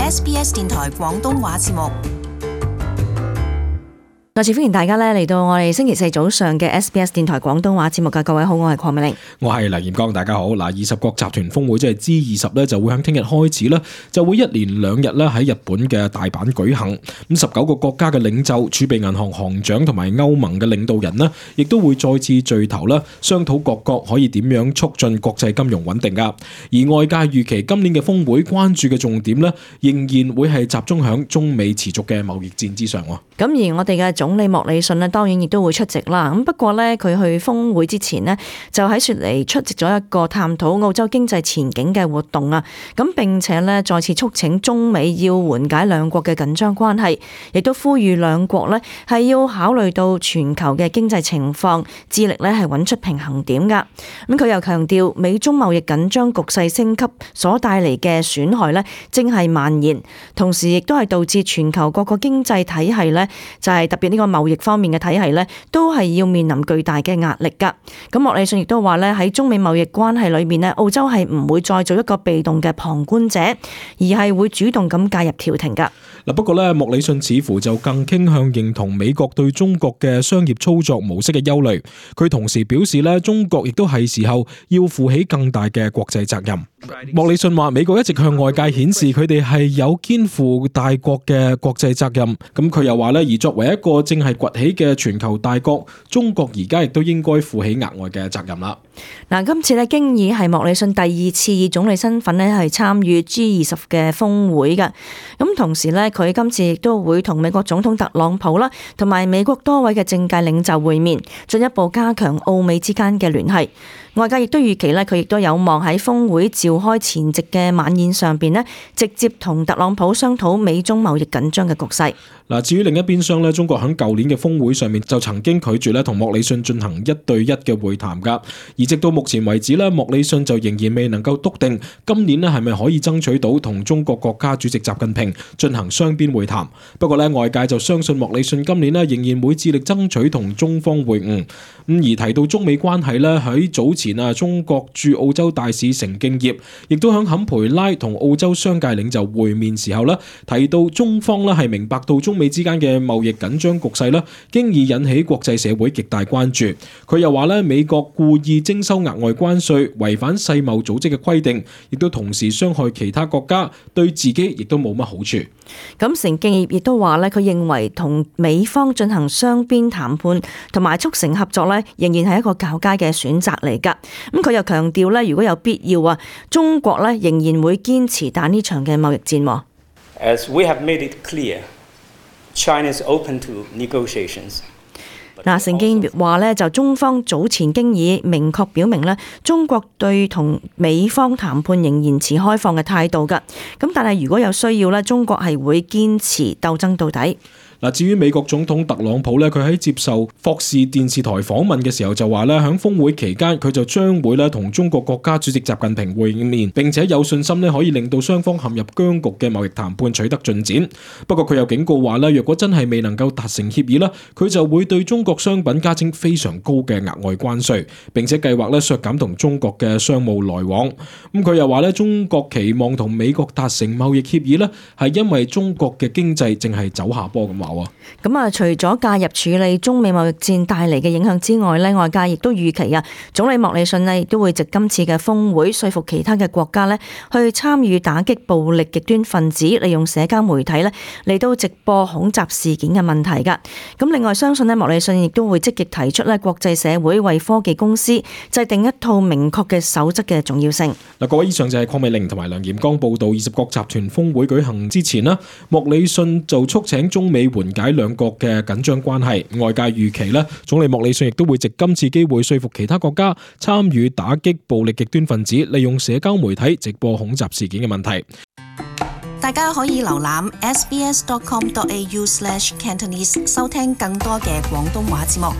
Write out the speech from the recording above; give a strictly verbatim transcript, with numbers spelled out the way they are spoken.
S B S 電台廣東話節目。再次歡迎大家咧嚟到我哋星期四早上嘅 S B S 電台廣東話節目嘅各位好，我係鄺美玲，我係黎炎剛，大家好。嗱，二十國集團峰會即係 G 二十咧，就會喺聽日開始啦，就會一連兩日咧喺日本嘅大阪舉行。咁十九個國家嘅領袖、儲備銀行行長同埋歐盟嘅領導人呢，亦都會再次聚頭啦，商討各國可以點樣促進國際金融穩定噶。而外界預期今年嘅峰會關注嘅重點呢，仍然會係集中響中美持續嘅貿易戰之上。咁而我哋嘅總理莫里遜呢，當然亦都會出席啦。咁不過呢，佢去峰會之前呢，就喺雪梨出席咗一個探討澳洲經濟前景嘅活動啊。咁並且呢，再次促請中美要緩解兩國嘅緊張關係，亦都呼籲兩國呢係要考慮到全球嘅經濟情況，致力呢係揾出平衡點噶。咁佢又強調，美中貿易緊張局勢升級所帶嚟嘅損害呢，正係蔓延，同時亦都係導致全球各個經濟體系呢，就係特別呢個貿易方面嘅體系呢，都係要面臨巨大嘅壓力噶。咁莫里遜亦都話呢，喺中美貿易關係裏面呢，澳洲係唔會再做一個被動嘅旁觀者，而係會主動咁介入調停噶。嗱，不過呢，莫里遜似乎就更傾向認同美國對中國嘅商業操作模式嘅憂慮。佢同時表示呢，中國亦都係時候要負起更大嘅國際責任。莫里遜話，美國一直向外界顯示佢哋係有肩負大國嘅國際責任。咁佢又話呢，而作為一個正係崛起嘅全球大國，中國而家亦都應該負起額外嘅責任啦。嗱，今次呢，經已係莫里遜第二次以總理身份呢係參與 G 二十嘅峰會嘅。咁同時呢，佢今次亦都會同美國總統特朗普啦，同埋美國多位嘅政界領袖會面，進一步加強澳美之間嘅聯繫。外界亦都預期呢，佢亦都有望喺峰會召開前夕嘅晚宴上邊呢，直接同特朗普商討美中貿易緊張嘅局勢。嗱，至於另一邊廂呢，中國喺舊年嘅峰會上面就曾經拒絕咧同莫里遜進行一對一嘅會談噶，而直到目前為止呢，莫里遜就仍然未能夠篤定今年呢係咪可以爭取到同中國國家主席習近平進行雙邊會談。不過呢，外界就相信莫里遜今年呢仍然會致力爭取同中方會晤。咁而提到中美關係呢，喺早前啊，中國駐澳洲大使成敬業亦都喺坎培拉同澳洲商界領袖會面時候呢，提到中方呢係明白到中美之間嘅貿易緊張局勢呢，經已引起國際社會極大關注。佢又話呢，美國故意徵收額外關稅，違反世貿組織嘅規定，亦都同時傷害其他國家，對自己亦都冇乜好處。咁成敬業亦都話呢，佢認為同美方進行雙邊談判同埋促成合作呢，仍然係一個較佳嘅選擇嚟噶。咁佢又強調呢，如果有必要啊，中國呢仍然會堅持打呢場嘅貿易戰。As we have made it clear, China is open to negotiations. 嗱，成敬業話呢，就中方早前經已明確表明呢，中國對同美方談判仍然持開放嘅態度噶。咁但係如果有需要呢，中國係會堅持鬥爭到底。嗱，至於美國總統特朗普咧，佢喺接受霍士電視台訪問嘅時候就話咧，喺峰會期間佢就將會咧同中國國家主席習近平會面，並且有信心咧可以令到雙方陷入僵局嘅貿易談判取得進展。不過佢又警告話咧，若果真係未能夠達成協議啦，佢就會對中國商品加徵非常高嘅額外關稅，並且計劃咧削減同中國嘅商務來往。咁佢又話咧，中國期望同美國達成貿易協議咧，係因為中國嘅經濟正係走下坡咁話。咁啊，除咗介入處理中美貿易戰帶嚟嘅影響之外咧，外界亦都預期啊，總理莫里遜咧亦都會藉今次嘅峰會說服其他嘅國家咧去參與打擊暴力極端分子利用社交媒體咧嚟到直播恐襲事件嘅問題噶。咁另外相信咧，莫里遜亦都會積極提出咧國際社會為科技公司制定一套明確嘅守則嘅重要性。嗱，各位，以上就係鄺美玲同埋梁炎剛報道，二十國集團峰會舉行之前啦，莫里遜就促請中美緩解兩國嘅緊張關係。外界預期咧，總理莫里遜亦都會藉今次機會說服其他國家參與打擊暴力極端分子利用社交媒體直播恐襲事件嘅問題。大家可以瀏覽 s b s dot com dot a u slash cantonese 收聽更多嘅廣東話節目。